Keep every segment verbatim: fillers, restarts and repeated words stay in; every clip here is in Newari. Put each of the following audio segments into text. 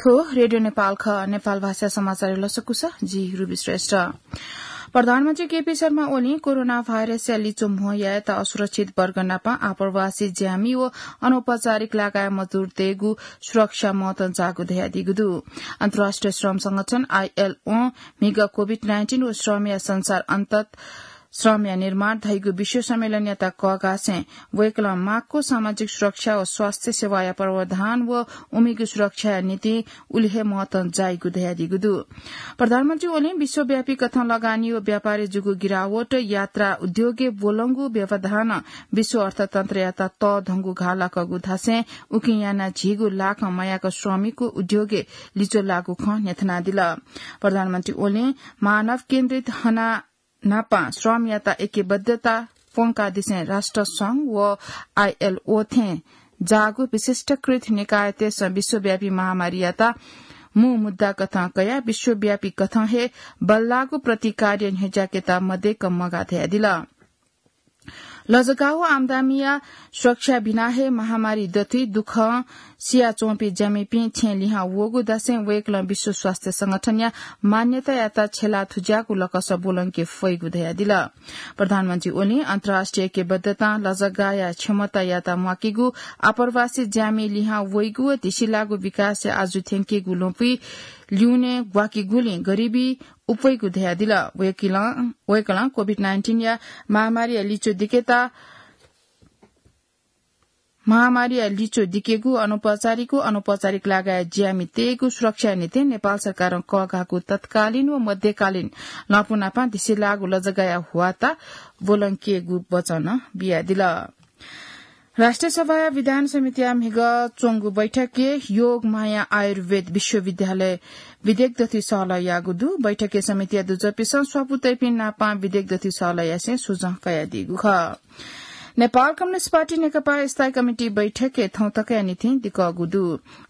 थ्व रेडियो नेपाल खः। नेपाल भाषा समाचार लसकुस, जि रुबी श्रेष्ठ। प्रधानमन्त्री केपी शर्मा ओलीं कोरोना भाइरसया लिचो म्हो यायेत असुरक्षित वर्ग नाप आप्रवासी ज्यामि व अनौपचारिक लागाय् मजदुरतय्गु सुरक्षा महत्व जाःगु धयादीगु दु। अन्तर्राष्ट्रिय श्रम संगठन आईएलओ म्हिगः कोभिड नाइन्टिन व श्रमया संसार अन्तत श्रमया निर्माण धइगु विश्व सम्मेलनयात कःघासें वय्कलं माक्व सामाजिक सुरक्षा व स्वास्थ्य सेवाया प्रावधान व उमिगु सुरक्षाया निंतिं उलि हे महत्व जाइगु धयादीगु दु। प्रधानमन्त्री ओलीं विश्वव्यापी कथं लगानी व व्यापारय् जूगु गिरावट, यात्रा उद्योगय् ब्वलंगु व्यवधानं विश्व अर्थतन्त्रयात तःधंगु घाः लाकूगु धासें उकिं यानाः झीगु लाखं मयाक श्रमिकको उद्योगय् लिचो लाःगु खँ न्ह्यथनादिल। प्रधानमन्त्री ओलीं मानव केन्द्रित हना नापं श्रमयात ऐक्यबद्धता प्वंकादिसें राष्ट्र संघ व आईएलओ थें जाःगु विशिष्टकृत निकायतय्सं विश्वव्यापी महामारीयात मू मुद्दा कथं कयाः विश्वव्यापी कथं हे बल्लाःगु प्रतिकार्य न्ह्यज्याकेत मदय्क मगाः धयादिल। लजगाः व आमदानीया सुरक्षा बिना हे महामारी दथुइ दुःखं सियाच्वंपिं ज्यामिपिं छेँ लिहां वःगु धासें वय्कलं विश्व स्वास्थ्य संगठनया मान्यतायात छ्यला थुज्याःगु लकस ब्वलंके फइगु धयादिल। प्रधानमन्त्री ओलीं अन्तर्राष्ट्रिय ऐक्यबद्धतां लजगाःया क्षमतायात म्वाकेगु, आप्रवासी ज्यामि लिहां वइगु व धिसिलाःगु विकासय् आजु थ्यंकेगु ल्वपुइ ल्यूने ग्वाकेगुलिं गरिबी उप्वइगु धयादिल। वय्कलं, वय्कलं कोभिड नाइन्टिनया महामारीया लिचो दिकेत महामारीया लिचो दिकेगु, अनौपचारिक व अनौपचारिक लागाय् ज्यामितय्गु सुरक्षाया निंतिं नेपाल सरकारं कःघाःगु तत्कालीन व मध्यकालीन लँपुनापं धिसिलाःगु लजगाःया ह्वाःत ब्वलंकेगु वचन बियादिल। राष्ट्रिय सभाया विधान समितिया म्हिगः च्वंगु बैठकय् योग माया आयुर्वेद विश्वविद्यालय विधेयक दथुइ सहलह याःगु दु। बैठकय् समितिया दुजःपिन्सं स्वापू तइपिं नापं विधेयक दथुइ सहलह यासें सुझाव कयादीगु खः। नेपाल कम्युनिस्ट पार्टी नेकपा स्थायी कमिटी बैठकय् थौंतकया निंतिं दिकःगु दु।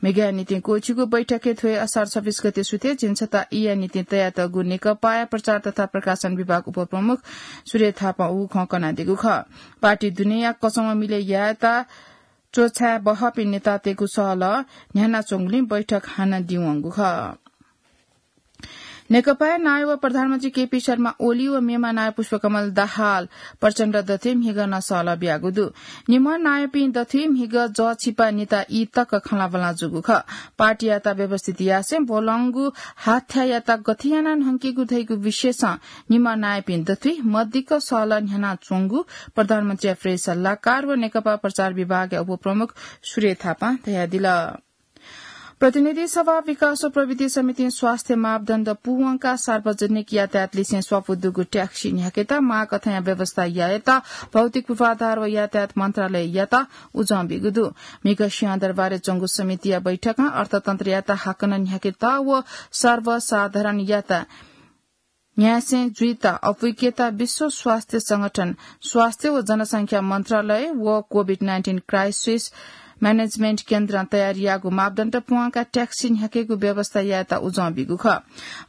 म्हिगःया निंतिं क्वःछिगु बैठकय् थ्व हे असार छब्बीस गते सुथय् झिंछता ईया निंतिं तयातःगु नेकपाया प्रचार तथा प्रकाशन विभाग उपप्रमुख सूर्य थापां उगु खँ कनादीगु खः। पार्टी दुनेया कचंम्ह मिलय् यायेत च्वछाये बहःपिं नेतातय्गु सहलह न्ह्यानाच्वंगुलिं बैठक हानं दिवंगु खः। नेकपाया नायः व प्रधानमन्त्री केपी शर्मा ओली व मेमा नायः पुष्पकमल दाहाल प्रचण्ड दथुइ म्हिगः नं सहलह बियागु दु। निम्ह नायःपिं दथुइ म्हिगः जःछिपा निता ई तक खँल्हाबल्हा जूगु खः। पार्टीयात व्यवस्थित यासें ब्वलंगु हाथ्याःयात गथे यानाः न्हंकेगु धइगु विषयसं निम्ह नायःपिं दथुइ मदिक्क सहलह न्ह्यानाच्वंगु प्रधानमन्त्रीया प्रेस सल्लाहकार व नेकपा प्रचार विभागया उपप्रमुख सूर्य थापां धयादिल। प्रतिनिधि सभा, विकास व प्रविधि समितिं स्वास्थ्य मापदण्ड पूवंकाः सार्वजनिक यातायात लिसें स्वापू दुगु ट्याक्सी न्ह्याकेत माःकथंया व्यवस्था यायेत भौतिक पूर्वाधार व यातायात मन्त्रालययात उजं बीगु दु। म्हिगः सिंहदरबारय् च्वंगु समितिया बैठकं अर्थतन्त्रयात हाकनं न्ह्याकेत व सर्वसाधारणयात न्ह्यासें जुइत अपुइकेत विश्व स्वास्थ्य संगठन, स्वास्थ्य व जनसंख्या मन्त्रालय व कोभिड नाइन्टिन क्राइसिस म्यानेजमेन्ट केन्द्रं तयार याःगु मापदण्ड पूवंकाः ट्याक्सी न्ह्याकेगु व्यवस्था यायेत उजं बीगु खः।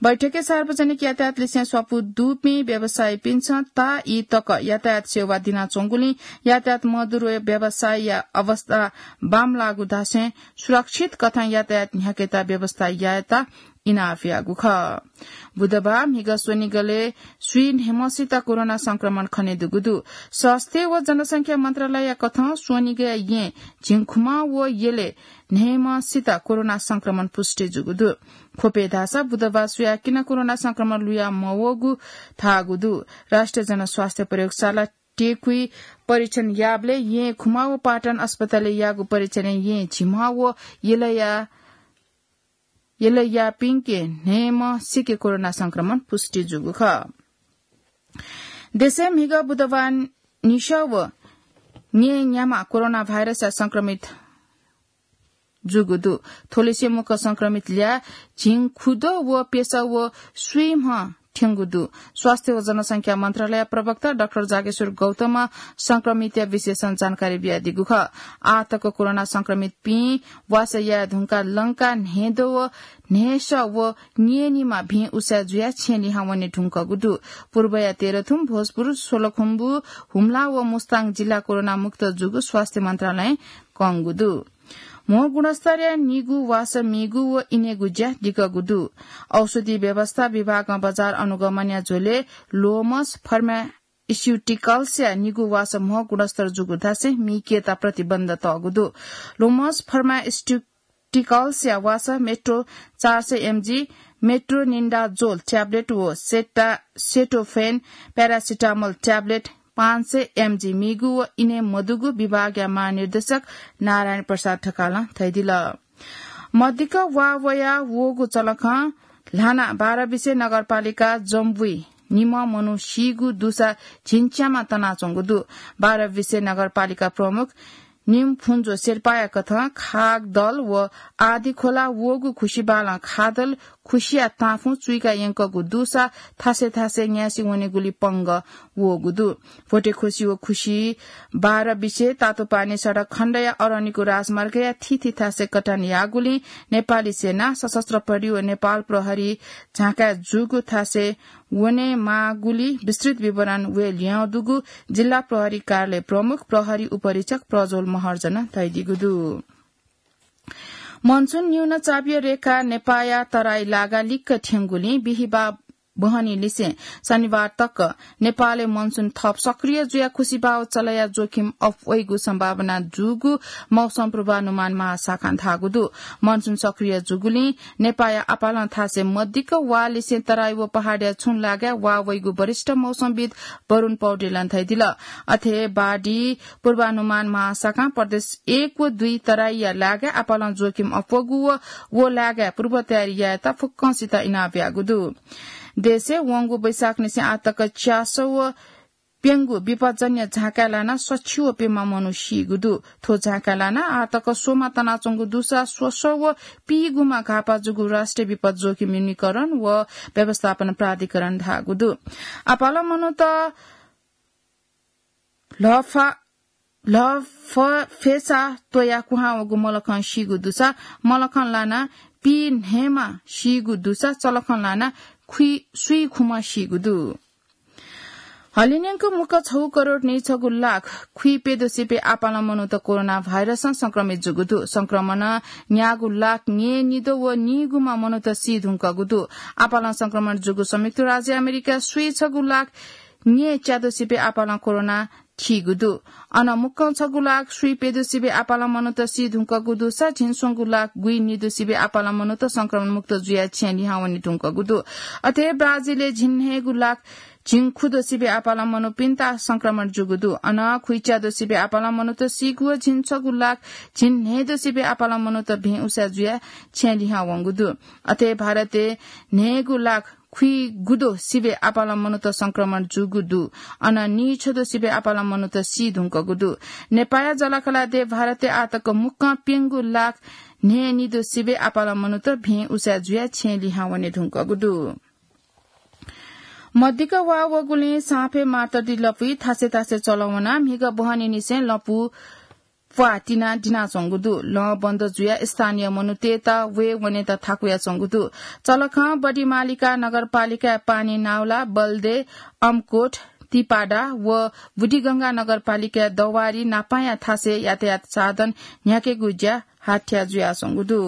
बैठकय् सार्वजनिक यातायात लिसें स्वापू दुपिं व्यवसायीपिन्सं ता ई तक यातायात सेवा दिनाच्वंगुलिं यातायात मजदुर व व्यवसायीया अवस्था बांमलाःगु धासें सुरक्षित कथं यातायात न्ह्याकेत व्यवस्था यायेत इनाप याःगु खः। बुधबार म्हिगः स्वनिगलय् स्वीन्हय्म्हसित कोरोना संक्रमण खनेदुगु दु। स्वास्थ्य व जनसंख्या मन्त्रालयया कथं स्वनिगःया येँ झिंखुमा व यलय् न्हय्म्हसित कोरोना संक्रमण पुष्टि जूगु दु। ख्वपय् धाःसा बुधबार स्वयाः किन कोरोना संक्रमण लुया मवःगु धाःगु दु। राष्ट्रिय जनस्वास्थ्य प्रयोगशाला टेकुइ परीक्षण याःबलय् येँ खुमा व पाटन अस्पतालय् याःगु परीक्षणय् येँ झिम्ह व यलया यलयापिंके न्हय्म्हसिके कोरोना संक्रमण पुष्टि जूगु खः। देशय् म्हिगः बुधबार न्हिसः व न्येन्याम्ह कोरोना भाइरसया संक्रमित जूगु दु। थ्वलिसे मुक्क संक्रमित ल्याः झिंखुद्वः व प्यसः व स्वीम्ह थ्यंगु दु। स्वास्थ्य व जनसंख्या मन्त्रालय प्रवक्ता डाक्टर जागेश्वर गौतमं संक्रमितया विशेषं जानकारी बियादीगु खः। आः तक कोरोना संक्रमितपिं वासः याये धुंकाः लंकाः न्हय्द्वः व न्हय्सः व न्येनिम्ह भिं उसाँय् जुयाः छेँ लिहां वने धुंकूगु दु। पूर्वया तेह्रथुम, भोजपुर, सोलखुम्बु, हुम्ला व मुस्ताङ जिल्ला कोरोना मुक्त जूगु स्वास्थ्य मन्त्रालयं कंगु दु। म्हो गुणस्तरया निगू वासः मीगु व इनेगु ज्या दिकःगु दु। औषधि व्यवस्था विभागं बजार अनुगमनया झ्वलय् लोमस फार्मास्युटिकल्सया निगू वासः म्हो गुणस्तर जूगु धासें मीकेत प्रतिबन्ध तःगु दु। लोमस फार्मास्युटिकल्सया वासः मेट्रो चार सय एमजी, मेट्रोनिडाजोल ट्याब्लेट व सेटा-, सेटोफेन प्यारासिटामोल ट्याब्लेट पाँच सय एमजी मीगु व इने मदुगु विभागया महानिर्देशक नारायण प्रसाद ढकालं धयादिल। मदिक्क वा वया वःगु चलखं ल्हाना बाह्र बिसे नगरपालिका जम्बुइ निम्ह मनू सीगु दुसा झिंच्यामा तनाच्वंगु दु। बाह्र बिसे नगरपालिका प्रमुख निमफुन्जो शेर्पाया कथं खागदल व आदिखोला वःगु खुसिबालं खादल खुसिया ताँफुं चुइका यंकःगु दुसा थासय् थासय् न्यासि वनेगुली पंगः वःगु दु। भोटेखुसी व खुसी बाह्र बिसे तातोपानी सडक खण्डया अरनिको राजमार्गया थीथी थासय् कटान याःगुलिं नेपाली सेना, सशस्त्र प्रहरी व नेपाल प्रहरी झाँकाय् जूगु थासय् वनेमाःगुली विस्तृत विवरण वये ल्ह्यः दुगु जिल्ला प्रहरी कार्यालय प्रमुख प्रहरी उपरीक्षक प्रज्वल महर्जनं धयादीगु दु। मनसुन न्यून चापीय रेखा नेपाःया तराई लागा लिक्क थ्यंगुलिं बिहिबाः बहनी लिसें शनिबार तक नेपालय् मनसुन थप सक्रिय जुयाः खुसिबाः चलया जोखिम अप्वइगु सम्भावना जूगु मौसम पूर्वानुमान महाशाखां धाःगु दु। मनसुन सक्रिय जूगुलिं नेपाःया आपालं थासय् मदिक्क वा लिसें तराई व पहाडया छुं लागाय् वा वइगु वरिष्ठ मौसमविद वरुण पौडेलं धयादिल। अथे बाढी पूर्वानुमान महाशाखां प्रदेश एक व दुई तराईया लागाय् आपालं जोखिम अप्वःगु व व लागाय् पूर्व तयारी यायेत फुक्कंसित इनाप ब्यागु दु। देशय् वंगु वैशाखनिसें आः तक च्यासः व प्यंगू विपदजन्य झाँकाय् लानाः सछि व प्यम्ह मनू सीगु दु। थ्व झाँकाय् लानाः आः तक स्वम्ह तनाच्वंगु दुसा स्वसः व पीगुम्ह घाःपाः जूगु राष्ट्रिय विपद जोखिम न्यूनीकरण व व्यवस्थापन प्राधिकरणं धाःगु दु। आपालं मनूत लफा-, लफफेसा त्वयाः कुहां वःगु मलखं सीगु दुसा मलखं लानाः पीन्हय्म्ह सीगु दुसा चलखं लानाः खुइ-, स्वीखुम्ह सीगु दु। हलिंन्यंक मुक्क छगू करोड नीछगू लाख खुइप्यद्वःसिबय् आपालं मनूत कोरोना भाइरसं संक्रमित जूगु दु। संक्रमणं न्यागू लाख न्यय्निद्वः व नीगुम्ह मनूत सी धुंकूगु दु। आपालं संक्रमण जूगु संयुक्त राज्य अमेरिका स्वीछगू लाख न्यय्च्याद्वःसिबय् आपालं कोरोना थीगु दु। अन मुक्कं छगू लाख स्वीप्यद्वःसिबय् आपालं मनूत सी धुंकूगु दुसा झिंस्वंगू लाख गुइनिद्वःसिबय् आपालं मनूत संक्रमण मुक्त जुयाः छेँय् लिहां वने धुंकूगु दु। अथे ब्राजिलय् झिंन्हय्गू लाख झिंखुद्वःसिबय् आपालं मनूपिन्त संक्रमण जूगु दु। अन खुइच्याद्वःसिबय् आपालं मनूत सीगु व झिंछगू लाख झिंन्हय्द्वःसिबय् आपालं मनूत भें उसाँय् जुयाः छेँय् लिहां वंगु दु। अथे भारतय् न्हय्गू लाख खुइगुद्वःसिबय् आपालं मनूत संक्रमण जूगु दु। अन नीछद्वःसिबय् आपालं मनूत सी धुंकूगु दु। नेपाःया जःलाखःला देय् भारतय् आः तक मुक्कं प्यंगू लाख न्हय्निद्वःसिबय् आपालं मनूत भें उसाँय् जुयाः छेँय् लिहां वने धुंकूगु दु। मदिक्क वा वःगुलिं साँपे मातडी लँपुइ थासय् थासय् चलं वनाः म्हिगः बहनीनिसें लँपु प्वाः तिनाः दिनाच्वंगु दु। लँ बन्द जुयाः स्थानीय मनूतय्त वये वनेत थाकुयाच्वंगु दु। चलखं बडिमालिका नगरपालिकाया पानी नाउला, बल्दे, अमकोट, तिपाडा व बुढीगंगा नगरपालिकाया दवारी नापाँया थासय् यातायात साधन न्ह्याकेगु ज्या हाथ्या जुयाच्वंगु दु।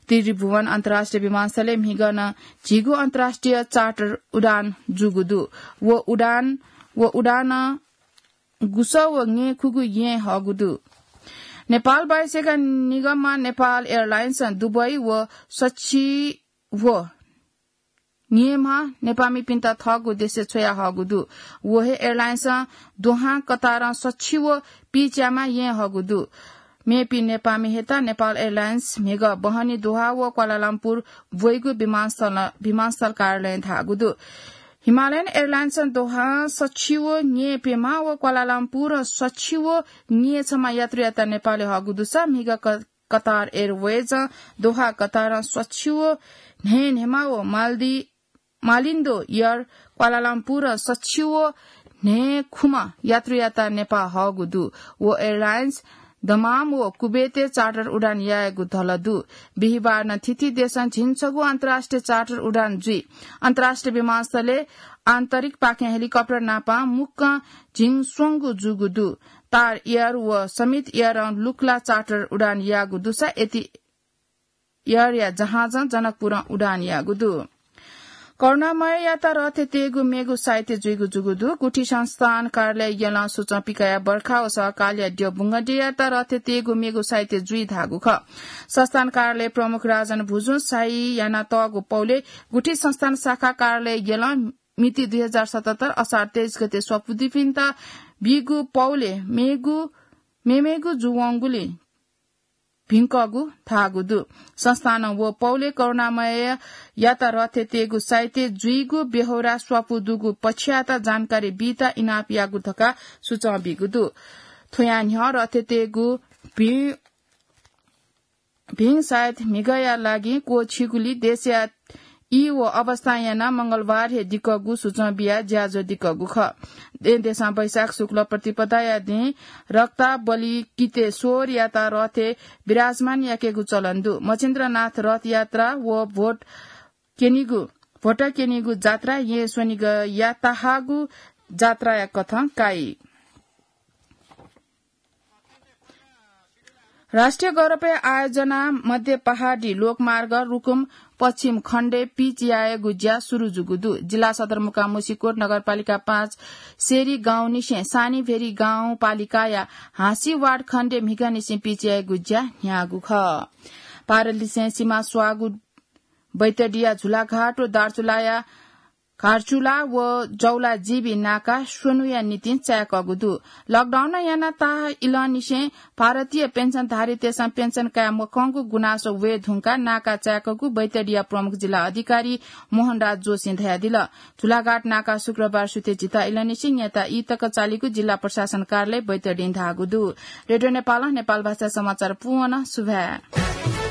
त्रिभुवन अन्तर्राष्ट्रिय विमानस्थलय् म्हिगः नं झिगू अन्तर्राष्ट्रिय चार्टर उडान जूगु दु। व उडान, व उडानं गुसः व ङय्खुगू येँ हःगु दु। नेपाल बाहेक निगमं नेपाल एयरलाइन्सं दुबई व सछि व न्यय्म्ह नेपाःमिपिन्त थःगु देशय् छ्वयाहःगु दु। व हे एयरलाइन्सं दोहा, कतारं सछि व पीच्याम्ह येँ हःगु दु। मेपिं नेपाःमि हयेत नेपाल एयरलाइन्स म्हिगः बहनी दोहा व क्वालालम्पुर ब्वइगु विमानस्थल, विमानस्थल कार्यालयं धाःगु दु। हिमालयन एयरलाइन्सं दोहां सछि व न्यय्प्यम्ह व क्वालालम्पुरं सछि व न्यय्छम्ह यात्रुयात नेपालय् हःगु दुसा म्हिगः क-, कतार एयरवेजं दोहा कतारं सछि व न्हय्न्हय्म्ह व मालदी-, मालिन्डो एयर क्वालालम्पुरं सछि व न्हय्खुम्ह यात्रुयात नेपाः हःगु दु। व एयरलाइन्स दमाम व कुवेतय् चार्टर उडान यायेगु धल दु। बिहिबारनं थीथी देशं झिंछगू अन्तर्राष्ट्रिय चार्टर उडान जुइ। अन्तर्राष्ट्रिय विमानस्थलय् आन्तरिकपाखें हेलिकप्टर नापं मुक्कं झिंस्वंगू जूगु दु। स्टार एयर व समित एयरं लुक्ला चार्टर उडान याःगु दुसा एति एयरया जहाजं जनकपुरं उडान याःगु दु। करुणामययात रथे तेगु मेगु साहित्य जुइगु जुगु दु। गुठी संस्थान कार्यालय यलं सूचं पिकाया बर्खा व सहकालया द्यः बुंगड्ययात रथे तेगु मेगु साहित्य जुइ धाःगु खः। संस्थान कार्यालय प्रमुख राजन भुजुं साही याना तःगु पौले गुठी संस्थान शाखा कार्यालय यलं मिति दुई हजार सतहत्तर असार तेइस गते स्वपुदिपिन्त बीगु पौले मेगु मेमेगु जुवंगुले भिंकःगु धाःगु दु। संस्थानं व पौले करुणामययात रथे तेगु साहित्य जुइगु बेहोरा स्वापु दुगु पक्षयात जानकारी बीत इनाप याःगु धकाः सूचं बीगु दु। थुया न्ह्यः रथे तेगु भिं, भिं सायद म्हिगया लागि क्वःछिगुली देशया ई व अवस्था यानाः मंगलबार हे दिकःगु सूचं बियाः ज्याझ्वः दिकःगु खः। दे-, देशं वैशाख शुक्ल प्रतिपदाया दिं रक्ताबलि कितेश्वरयात रथे विराजमान याकेगु चलन दु। मच्छिन्द्रनाथ रथयात्रा व भोट क्यनीगु, भोट क्यनीगु जात्रा येँ स्वनिगया तहाःगु जात्राया कथं काइ। राष्ट्रिय गौरवया आयोजना मध्ये पहाडी लोकमार्ग रुकुम पश्चिम खण्डय् पिच यायेगु ज्या सुरु जूगु दु। जिल्ला सदरमुकाम मुसिकोट नगरपालिका पाँच सेरी गाउँनिसें सानीभेरी गाउँपालिकाया हाँसी वार्ड खण्डय् म्हिगःनिसें पिच यायेगु ज्या न्ह्याःगु खः। भारतलिसें सिमा स्वाःगु बैतडिया झुलाघाट व दार्चुलाया घाटचुला व जौला जीबी नाका स्वन्हुया निंतिं चाय्‌कःगु दु। लकडाउन यानाः ताहाः इलंनिसें भारतीय पेन्सनधारीतय्‌सं पेन्सन काये मखंगु गुनासो वये धुंकाः नाका चाय्‌कःगु बैतडिया प्रमुख जिल्ला अधिकारी मोहनराज जोशीं धयादिल। झुलाघाट नाका शुक्रबार सुथे झिता इलंनिसें न्यता ई तक चालीगु जिल्ला प्रशासन कार्यालय बैतडीं धाःगु दु। रेडियो नेपालं नेपाल भाषा समाचार पूवन सुभाय्।